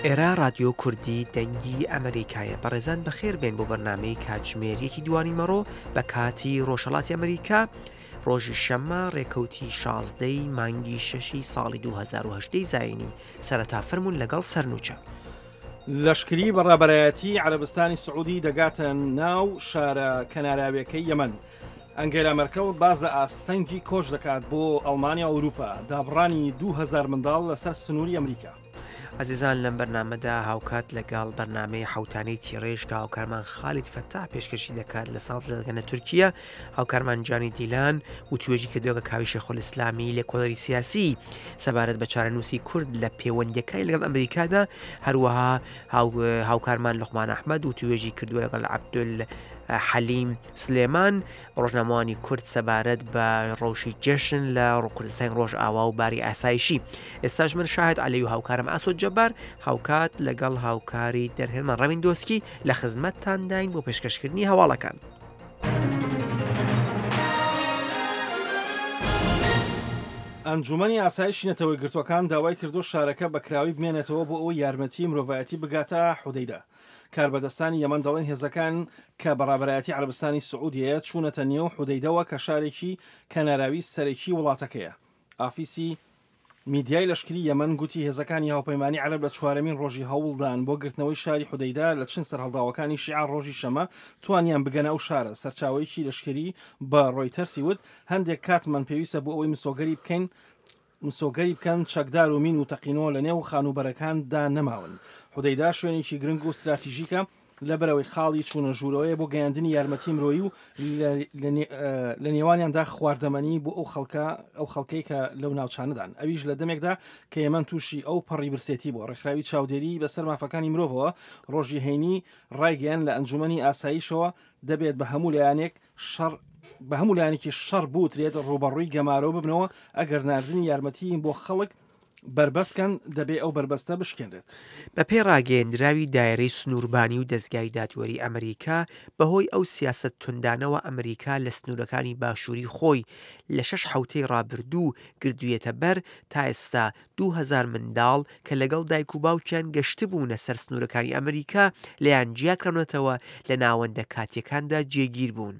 ئێرە ڕادیۆ کوردی دەنگی ئەمریکایە بەڕێزان بەخێر بێن بۆ بەرنامەی کاتژمێر یەکی دوانی مەڕۆ بە کاتی ڕۆژهەڵاتی ئەمریکا ڕۆژی شەممە ڕێکەوتی شازدەی مانگی شەشی ساڵی 2010 زایینی سەرەتا فەرمونون لەگەڵ سەرنوچە. لەشکری بە ڕابەرایەتی عەرەبستانی سعودی دەگاتە ناو شارە کەناراویەکەی یەمەن. ئەنگێلا مەرکڵ باس لە ئاستەنگی کۆچ دەکات بۆ ئەڵمانیا و ئەوروپا، دابڕانی 2000 منداڵ لەسەر سنووری ئەمریکا. ئازیزان لەم بەرنامەدا هاوکات لەگەڵ بەرنامەی حەوتانەی تیڕێژ کە هاوکارمان خالید فەتاح پێشکەشی دەکات لە ساڵ دەگەنە تورکیە هاوکارمان جانی دیلان وتوێژی کردووە کە کاوی شێخۆلئیسلامی لێکۆڵەری سیاسی سەبارەت بە چارەنووسی کورد لە پەیوەندیەکانی لەگەڵ ئەمریکادا هەروەها هاوکارمان لوقمان ئەحمەد وتوێژی کردووە لەگەڵ عەبدول حەلیم سلێمان ڕۆژنامەوانی کورد سەبارەت بە ڕەوشی جەشن لە کوردستانی ڕۆژئاوا و باری ئاسایشی ئێستاش من شاهد عەلی و هاوکارم ئاسۆ جەبار هاوکات لەگەڵ هاوکاری دەرهێنمان ڕەوین دۆسکی لە خزمەتتانداین بۆ پێشکەشکردنی هەواڵەکان. ئەنجوومەنی ئاسایشی نەتەوەیەکگرتووەکان داوای کردووە شارەکە بە کراوەیی بمێنێتەوە بۆ ئەوەی یارمەتیی مرۆڤایەتی بگاتە حودەیدە. کاربەدەستانی یەمەن دەڵێن هێزەکان کە بە ڕابەرایەتی عەرەبستانی سعودیەیە چوونەتە نێو حودەیدەوە کە شارێکی کەناراوی سەرەکی وڵاتەکەیە. ئافیسی میدیای لەشکری یەمەن گوتی هێزەکانی هاوپەیمانی عەرەب لە چوارەمین ڕۆژی هەوڵدان بۆ گرتنەوەی شاری حودەیدە لە چنگ سەرهەڵداوەکانی شیعە ڕۆژی شەمە توانیان بگەنە ئەو شارە. سەرچاوەیەکی لەشکری بە ڕۆیتەرسی وت هەندێک کاتمان پێویستە بۆ ئەوەی مسۆگەری بکەین مسۆگەری بکەن چەکدار و مین و تەقینەوە لە نێو خانووبەرەکان دا نەماون. حودەیدە شوێنێکی گرنگ و ستراتیژیکە لەبەرئەوەی خاڵی چوونە ژوورەوەیە بۆ گەیاندنی یارمەتی مرۆیی و لە نێوانیاندا خواردەمەنی بۆ ئەو خەڵکە ئەو خەڵکەی کە لەو ناوچانەدان ئەویش لە دەمێکدا کە یەمەن تووشی ئەو پەڕی برسێتی بووە. ڕێکخراوی چاودێری بەسەر مافەکانی مرۆڤەوە ڕۆژی هەینی ڕایگەیاند لە ئەنجومەنی ئاسایشەوە دەبێت بە هەموو لایەنێک شەڕ بە هەموو لایەنێکی شەڕ بوترێت ڕووبەڕووی گەمارۆ ببنەوە ئەگەر ناردنی یارمەتی بۆ خەڵک بەربەست کەن دەبێ ئەو بەربەستە بشکێنرێت. بەپێی ڕاگەیەندراوی دایرەی سنووربانی و دەزگای دادوەری ئەمریکا، بەهۆی ئەو سیاسەت توندانەوە ئەمریکا لە سنوورەکانی باشووری خۆی لە شەش حەوتەی ڕابردوو گردوویەتە بەر، تا ئێستا 2000 منداڵ کە لەگەڵ دایک و باوکیان گەشتبوونە سەر سنوورەکانی ئەمریکا لێیان جیاکراونەتەوە لە ناوەندە کاتییەکاندا جێگیر بوون.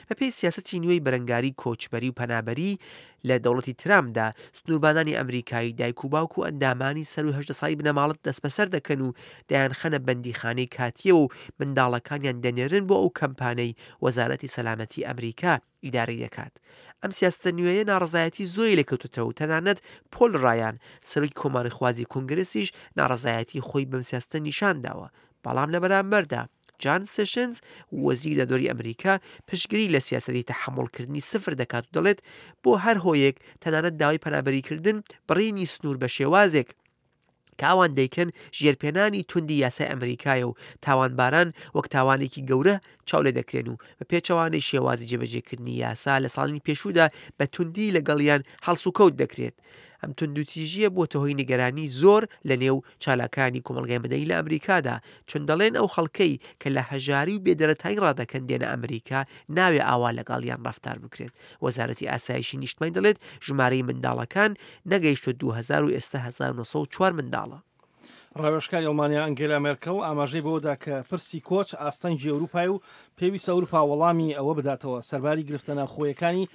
بەپێی سیاسەتی نوێی بەرەنگاری کۆچبەری و پەنابەری لە دەوڵەتی ترامپدا، سنووربانانی ئەمریکایی دایک و باوک و ئەندامانی سەرووی 18 ساڵی بنەماڵە دەستبەسەر دەکەن و دەیانخەنە بەندیخانەی کاتییەوە و منداڵەکانیان دەنێرن بۆ ئەو کەمپانەی وەزارەتی سەلامەتی ئەمریکا ئیدارەی دەکات. ئەم سیاسەتە نوێیە ناڕەزایەتی زۆری لێکەوتۆتەوە و تەنانەت پۆل ڕایان، سەرۆکی کۆماریخوازی کۆنگرێسیش ناڕەزایەتی خۆی بەم سیاسەتە نیشان داوە. بەڵام لە بەرامبەردا جان سێشنز، وەزیری دادوەری ئەمریکا پشتگیری لە سیاسەتی تەحەموڵکردنی سفر دەکات و دەڵێت بۆ هەر هۆیەک تەنانەت داوای پەنابەریکردن بڕینی سنوور بە شێوازێک کە ئەوان دەیکەن ژێرپێنانی توندی یاسای ئەمریکایە و تاوانباران وەک تاوانێکی گەورە چاو لێ دەکرێن و بە پێچەوانەی شێوازی جێبەجێکردنی یاسا لە ساڵانی پێشوودا بە توندی لەگەڵیان هەڵسوکەوت دەکرێت. ئەم توندوتیژییە بووەتە هۆی نیگەرانی زۆر لە نێو چالاکانی کۆمەڵگای مەدەنی لە ئەمریکادا، چون دەڵێن ئەو خەڵکەی کە لە هەژاری و بێدەرەتانی ڕادەکەن دێنە ئەمریکا ناوێ ئاوا لەگەڵیان ڕەفتار بکرێت. وەزارەتی ئاسایشی نیشتمانی دەڵێت ژمارەی منداڵەکان نەگەیشتووە 2000 و ئێستا 1904 منداڵە. ڕاوێژکاری ئەڵمانیا ئەنگێلا مێرکڵ ئاماژەی بەوەدا کە پرسی کۆچ ئاستەنگی ئەوروپایە و پێویستە ئەوروپا وەڵامی ئەوە بداتەوە سەرباری گرفتە ناوخۆیەکانی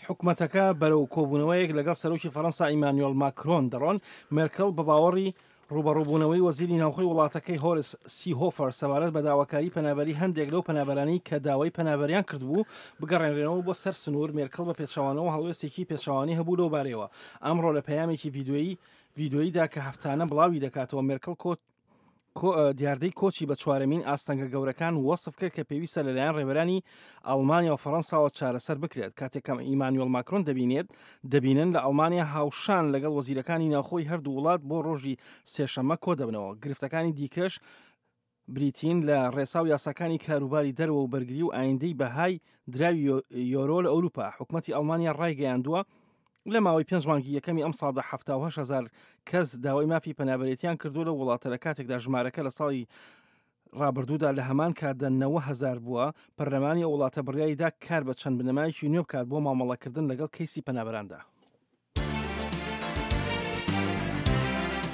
حکومەتەکە بەرەو کۆبوونەوەیەک لەگەڵ سەرۆکی فەرەنسا ئیمانوێل ماکرۆن دەڕۆن. مێرکڵ بە باوەڕی ڕووبەڕووبوونەوەی وەزیری ناوخۆی وڵاتەکەی هۆرس سیهۆفەر سەبارەت بە داواکاری پەنابەری هەندێک لەو پەنابەرانەی کە داوای پەنابەریان کردبوو بگەڕێنرێنەوە بۆ سەر سنوور، مێرکڵ بە پێچەوانەوە هەڵوێستێکی پێچەوانەی هەبوو لەو بارەیەوە. ئەمڕۆ لە پەیامێکی ڤیدیۆیی ڤیدیۆییدا کە هەفتانە بڵاوی دەکاتەوە مێرکڵ کۆ دیاردەی کۆچی بە چوارەمین ئاستەنگە گەورەکان وەسف کرد کە پێویستە لەلایەن ڕێبەرانی ئەڵمانیا و فەڕەنساوە چارەسەر بکرێت کاتێک کە ئیمانوێل ماکرۆن دەبینێت دەبینن لە ئەڵمانیا هاوشان لەگەڵ وەزیرەکانی ناوخۆی هەردوو وڵات بۆ ڕۆژی سێشەممە کۆدەبنەوە گرفتەکانی دیکەش بریتین لە ڕێسا و یاساکانی کاروباری دەرەوە و بەرگری و ئایندەی بەهای دراوی یۆرۆ لە ئەوروپا حکومەتی ئەڵمانیا ڕایگەیاندووە لە ماوەی پێنج مانگی یەکەمی ئەمساڵدا 78 هەزار کەس داوای مافی پەنابەرێتیان کردووە لەو وڵاتە لە کاتێکدا ژمارەکە لە ساڵی ڕابردوودا لە هەمان کاتدا 90 هەزار بووە، پەرلەمانی ئەو وڵاتە بڕیاریدا کار بە چەند بنەمایەکی نوێ بکات بۆ مامەڵەکردن لەگەڵ کەیسی پەنابەراندا.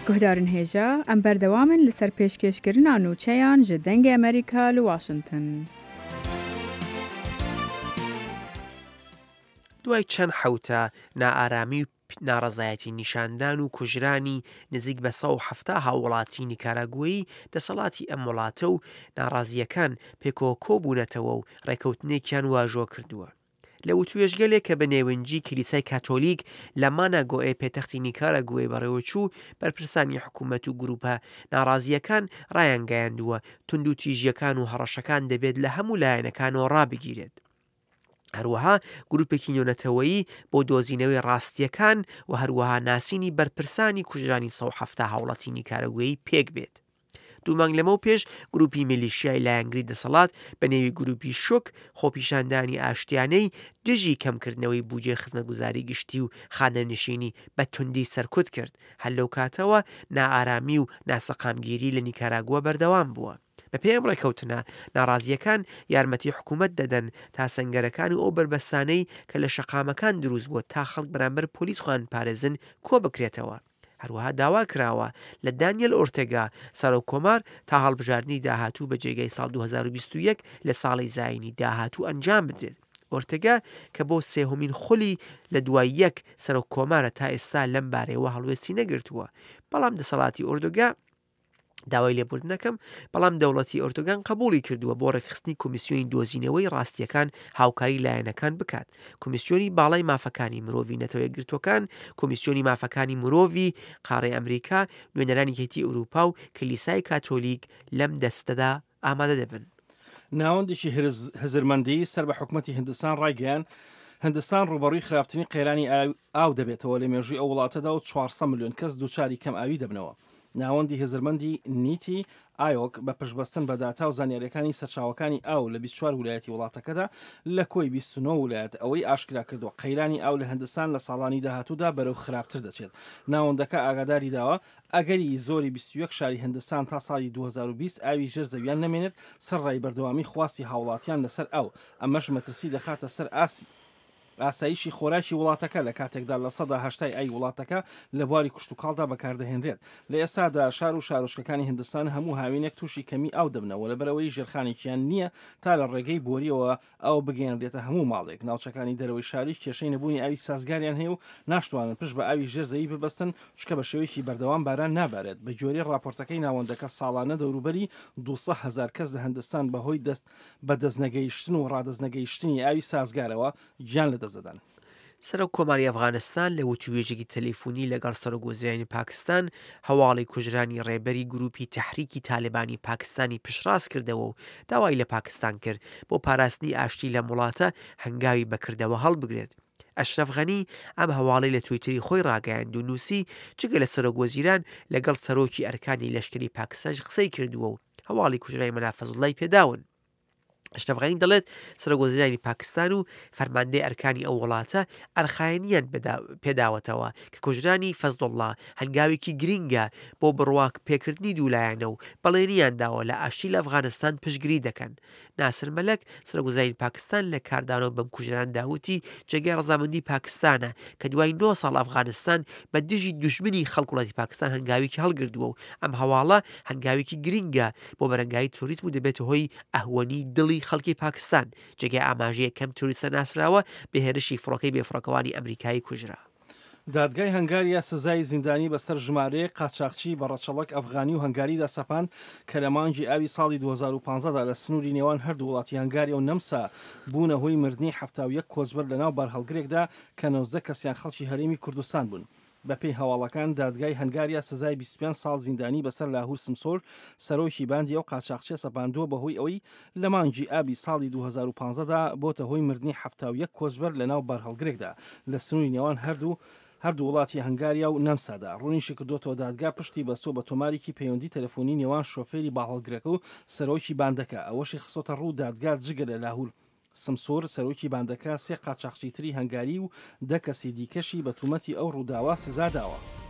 Guhdarên hêja, em berdewam in li ser pêşkêşkirina nûçeyan ji Dengê Amerîka li Washington. دوای چەند حەوتە نائارامی و ناڕەزایەتی نیشاندان و کوژرانی نزیک بە 170 هاووڵاتی نیکاراگوەیی، دەسەڵاتی ئەم وڵاتە و ناڕازییەکان پێکەوە کۆبوونەتەوە و ڕێکەوتنێکیان واژۆ کردووە. لە وتوێژگەلێک کە بە نێونجی کلیسای کاتۆلیک لە ماناگۆئێ پێتەختی نیکاراگوێ بەڕێوەچوو، بەرپرسانی حکوومەت و گرووپە ناڕازییەکان ڕایانگەیاندووە، توندوتیژییەکان و هەڕەشەکان دەبێت لە هەموو لایەنەکانەوە ڕابگیرێت. هەروەها گرووپێکی نێونەتەوەیی بۆ دۆزینەوەی ڕاستییەکان و هەروەها ناسینی بەرپرسانی کوژرانی 170 هاوڵاتی نیکاراگوێی پێک بێت. دوو مانگ لەمەو پێش گروپی میلیشیای لایەنگری دەسەڵات بە نێوی گروپی شۆک خۆپیشاندانی ئاشتیانەی دژی کەمکردنەوەی بوجەی خزمەتگوزاری گشتی و خانەنشینی بە توندی سەرکوت کرد، هەر لەو کاتەوە نائارامی و ناسەقامگیری لە نیکاراگوا بەردەوام بووە. بەپێی ئەم ڕێککەوتنە، ناڕازییەکان یارمەتی حکومەت دەدەن تا سەنگەرەکان و ئەو بەربەستانەی کە لە شەقامەکان دروست بووە تا خەڵک بەرامبەر پۆلیس خۆیان بپارێزن کۆبکرێتەوە. هەروەها داوا کراوە لە دانیێل ئۆرتێگا، سەرۆک کۆمار تا هەڵبژاردنی داهاتوو بە جێگای ساڵ 2021 لە ساڵی زایینی داهاتوو ئەنجام بدرێت. ئۆرتێگا کە بۆ سێهەمین خولی لە دوای یەک سەرۆک کۆمارە تا ئێستا لەم بارەیەوە هەڵوێستی نەگرتووە. بەڵام دەسەڵاتی ئۆردوگا داوای لێبوردن دەکەم، بەڵام دەوڵەتی ئۆردوگان قبوڵی کردووە بۆ ڕێکخستنی کۆمیسیۆنی دۆزینەوەی ڕاستییەکان هاوکاری لایەنەکان بکات. کۆمیسیۆنی باڵای مافەکانی مرۆڤی نەتەوە یەکگرتووەکان، کۆمیسیۆنی مافەکانی مرۆڤی قاڕەی ئەمریکا، نوێنەرانی یەکێتی ئەوروپا و کلیسای کاتۆلیک لەم دەستەدا ئامادە دەبن. ناوەندێکی هزرمەندی سەر بە حکومەتی هندستان ڕایگەیاند، هندستان ڕووبەڕووی خراپترین قەیرانی ئاو دەبێتەوە لە مێژووی ئەو وڵاتەدا و 400 ملیۆن کەس دووچاری کەمئاوی دەبنەوە. ناوەندی هزرمەندی نیتی ئایۆک بە پشتبەستن بە داتا و زانیارییەکانی سەرچاوەکانی ئاو لە 24 ولایەتی وڵاتەکەدا لە کۆی 29 ولایەت ئەوەی ئاشکرا کردووە قەیرانی ئاو لە هندستان لە ساڵانی داهاتوودا بەرەو خراپتر دەچێت. ناوەندەکە ئاگاداری داوە ئەگەری زۆری 21 شاری هندستان تا ساڵی 2020 ئاوی ژێر زەویان نەمێنێت سەرەڕای بەردەوامی خواستی هاوڵاتیان لەسەر ئاو ئەمەش مەترسی دەخاتە سەر ئاستی ئاسایشی خۆراکی وڵاتەکە لە کاتێکدا 80% ی ئاوی وڵاتەکە لە بواری کشتوکاڵدا بەکاردەهێنرێت. لە ئێستادا شار و شارۆچکەکانی هندستان هەموو هاوینێک تووشی کەمی ئاو دەبنەوە لەبەرئەوەی ژێرخانێکیان نییە تا لە ڕێگەی بۆرییەوە ئاو بگەیەنرێتە هەموو ماڵێک. ناوچەکانی دەرەوەی شاریش کێشەی نەبوونی ئاوی سازگاریان هەیە و ناشتوانن پشت بە ئاوی ژێر زەوی ببەستن چونکە بە شێوەیەکی بەردەوام باران نابارێت. بە گوێرەی ڕاپۆرتەکەی ناوەندەکە ساڵانە دەوروبەری 200 هەزار کەس لە هندستان بەهۆی دەست بەدەستنەگەیشتن و ڕادەستنەگەیشتنی ئاوی سازگارەوە گیان لەدەست دەدەن. سەرۆک کۆماری ئەفغانستان لە وتووێژێکی تەلەفونی لەگەڵ سەرۆک وەزیرانی پاکستان هەواڵی کوژرانی ڕێبەری گرووپی تەحریکی تالبانی پاکستانی پشتڕاست کردەوە و داوای لە پاکستان کرد بۆ پاراستنی ئاشتی لەم وڵاتە هەنگاوی بەکردەوە هەڵبگرێت. ئەشرەف غەنی ئەم هەواڵەی لە تویتری خۆی ڕاگەیاند و نووسی جگە لە سەرۆک وەزیران لەگەڵ سەرۆکی ئەرکانی لەشکری پاکستانیش قسەی کردووە و هەواڵی کوژرانی مەلا فەزڵوڵای پێداون. ئەشرەف غەنی دەڵێت سەرۆک وەزیرانی پاکستان و فەرماندەی ئەرکانی ئەو وڵاتە ئەرخایەنیان پێداوەتەوە کە کوژرانی فەزڵوڵا هەنگاوێکی گرینگە بۆ بڕوا پێکردنی دوولایەنە و بەڵێنیان داوە لە ئاشتی لە ئەفغانستان پشتگیری دەکەن. ناسر مەلەک، سەرۆکوەزیرانی پاکستان لە کاردانەوە بەم کوژرانەدا وتی، جێگای ڕەزامەندی پاکستانە کە دوای نۆ ساڵ ئەفغانستان بە دژی دوژمنی خەڵک وڵاتی پاکستان هەنگاوێکی هەڵگردووە و ئەم هەواڵە هەنگاوێکی گرینگە بۆ بەرەنگاری ترۆریزم و دەبێتە هۆی ئەهوەنی دڵی خەڵکی پاکستان. جێگای ئاماژەیە کەم ترۆریستە ناسراوە بە هێرشی فڕۆکەی بێفڕۆکەوانی ئەمریکایی کوژرا. دادگای هەنگاریا سزای زیندانی بەسەر ژمارەیەک قاچاخچی بە ڕەچەڵەک ئەفغانی و هەنگاریدا سەپاند کە لە مانگی ئاوی ساڵی 2015 دا لە سنووری نێوان هەردوو وڵاتی هەنگاریا و نەمسا بوونە هۆی مردنی 71 کۆچبەر لەناو بارهەڵگرێکدا کە 19 کەسیان خەڵکی هەرێمی کوردستان بوون. بەپێی هەواڵەکان، دادگای هەنگاریا سزای 25 ساڵ زیندانی بەسەر لاهور سمسۆر، سەرۆکی باندی ئەو قاچاخچیە سەپاندووە بەهۆی ئەوەی لە مانگی ئابی ساڵی 2015 دا بۆتە هۆی مردنی 71 کۆچبەر لەناو بارهەڵگرێکدا لە سنووری نێوان هەردوو هەردوو وڵاتی هەنگاریا و نەمسادا. ڕوونیشیکردۆتەوە دادگا پشتی بەستووە بە تۆمارێکی پەیوەندی تەلەفۆنی نێوان شۆفێری باڵهەڵگرەکە و سەرۆکی باندەکە. ئەوەشی خستۆتەڕوو دادگا جگە لە لاهور سمسور، سەرۆکی باندەکە، سێ قاچاخچی تری هەنگاری و دە کەسی دیکەشی بە تومەتی ئەو ڕووداوە سزا داوە.